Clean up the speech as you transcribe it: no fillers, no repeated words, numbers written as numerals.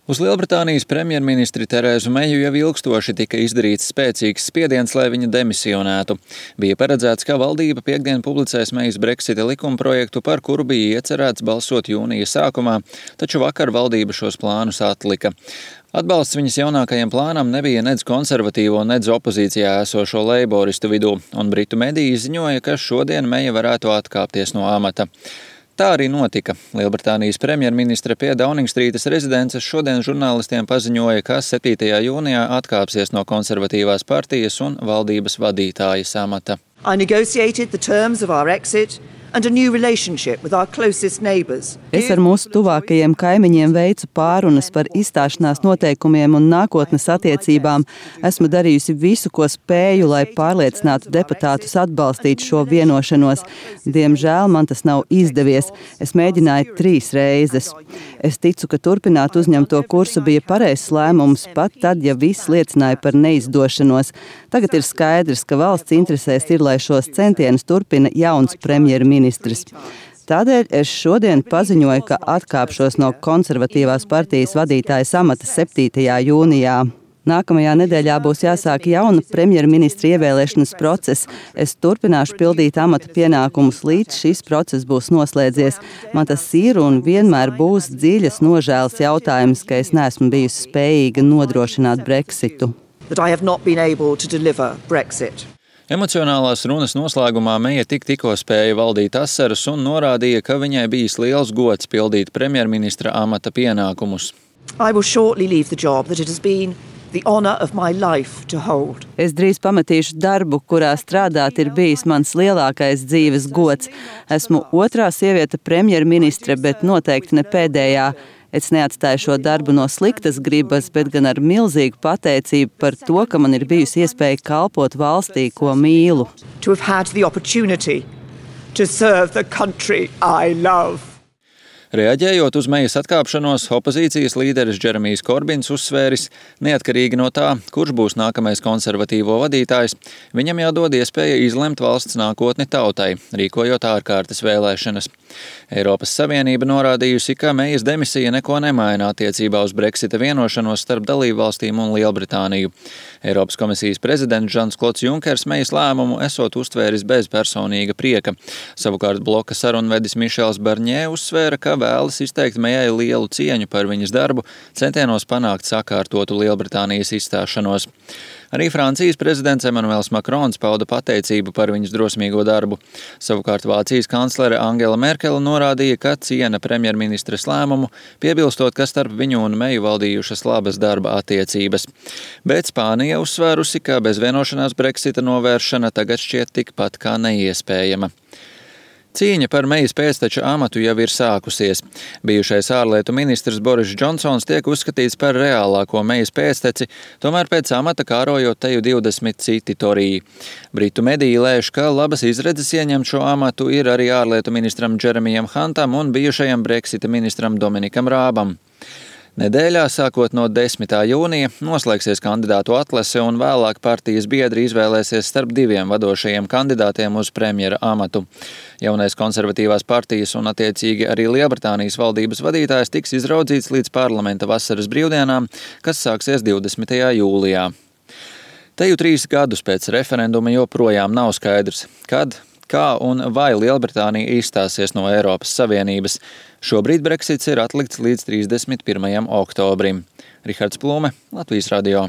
Uz Lielbritānijas premjerministri Terēzu Meju jau ilgstoši tika izdarīts spēcīgs spiediens, lai viņa demisionētu. Bija paredzēts, ka valdība piekdien publicēs Mejas Brexita likumprojektu, par kuru bija iecerēts balsot jūnija sākumā, taču vakar valdība šos plānus atlika. Atbalsts viņas jaunākajam plānam nebija nedz konservatīvo, nedz opozīcijā esošo leiboristu vidū, un britu mediji ziņoja, ka šodien Meja varētu atkāpties no amata. Tā arī notika. Lielbritānijas premjerministre pie Dauningstrītas rezidences šodien žurnālistiem paziņoja, ka 7. jūnijā atkāpsies no konservatīvās partijas un valdības vadītājas amata. I negotiated the terms of our exit and a new relationship with our closest neighbours. Es ar mūsu tuvākajiem kaimiņiem veicu pārunas par izstāšanās noteikumiem un nākotnes attiecībām. Esmu darījusi visu, ko spēju, lai pārliecinātu deputātus atbalstīt šo vienošanos. Diemžēl man tas nav izdevies. Es mēģināju 3 reizes. Es ticu, ka turpināt uzņemto kursu bija pareizs lēmums, pat tad, ja viss liecināja par neizdošanos. Tagad ir skaidrs, ka valsts interesēs ir, lai šos centienus turpina jauns premjerministrs. Tādēļ es šodien paziņoju, ka atkāpšos no konservatīvās partijas vadītājas amata 7. jūnijā. Nākamajā nedēļā būs jāsāk jauna premjerministra ievēlēšanas process. Es turpināšu pildīt amata pienākumus, līdz šis process būs noslēdzies. Man tas ir un vienmēr būs dziļas nožēlas jautājums, ka es neesmu bijusi spējīga nodrošināt Brexitu. Emocionālās runas noslēgumā Meja tikko spēja valdīt asaras un norādīja, ka viņai bijis liels gods pildīt premjerministra amata pienākumus. Es drīz pametīšu darbu, kurā strādāt ir bijis mans lielākais dzīves gods. Esmu otrā sieviete premjerministre, bet noteikti ne pēdējā. Es neatstāju šo darbu no sliktas gribas, bet gan ar milzīgu pateicību par to, ka man ir bijusi iespēja kalpot valstī, ko mīlu. Reaģējot uz Mejas atkāpšanos, opozīcijas līderis Džeremijs Korbins uzsvēris, neatkarīgi no tā, kurš būs nākamais konservatīvo vadītājs, viņam jādod iespēja izlemt valsts nākotni tautai, rīkojot ārkārtas vēlēšanas. Eiropas Savienība norādījusi, ka Mejas demisija neko nemaina attiecībā uz Brexita vienošanos starp dalībvalstīm un Lielbritāniju. Eiropas komisijas prezidents Žans-Klods Junkers Mejas lēmumu esot uztvēris bez personīga prieka. Savukārt bloka sarunvedis Mišels Barņē uzsvēra, ka vēlas izteikt Mejai lielu cieņu par viņas darbu, centienos panākt sakārtotu Lielbritānijas izstāšanos. Arī Francijas prezidents Emmanuels Macrons pauda pateicību par viņas drosmīgo darbu. Savukārt Vācijas kanclere Angela Merkele norādīja, ka ciena premjerministres lēmumu, piebilstot, ka starp viņu un Meju valdījušas labas darba attiecības. Bet Spānija uzsvērusi, ka bez vienošanās Brexita novēršana tagad šķiet tikpat kā neiespējama. Cīņa par Mejas pēcteča amatu jau ir sākusies. Bijušais ārlietu ministrs Boris Džonsons tiek uzskatīts par reālāko Mejas pēcteci, tomēr pēc amata kārojot teju 20 citi toriji. Britu mediji lēš, ka labas izredzes ieņemt šo amatu ir arī ārlietu ministram Džeremijam Hantam un bijušajam Brexita ministram Dominikam Rābam. Nedēļā, sākot no 10. jūnija, noslēgsies kandidātu atlase un vēlāk partijas biedri izvēlēsies starp 2 vadošajiem kandidātiem uz premjera amatu. Jaunais konservatīvās partijas un attiecīgi arī Lielbritānijas valdības vadītājs tiks izraudzīts līdz parlamenta vasaras brīvdienām, kas sāksies 20. jūlijā. Teju 3 gadus pēc referenduma joprojām nav skaidrs, kad, kā un vai Lielbritānija izstāsies no Eiropas Savienības. Šobrīd Brexits ir atlikts līdz 31. oktobrim. Rihards Plūme, Latvijas radio.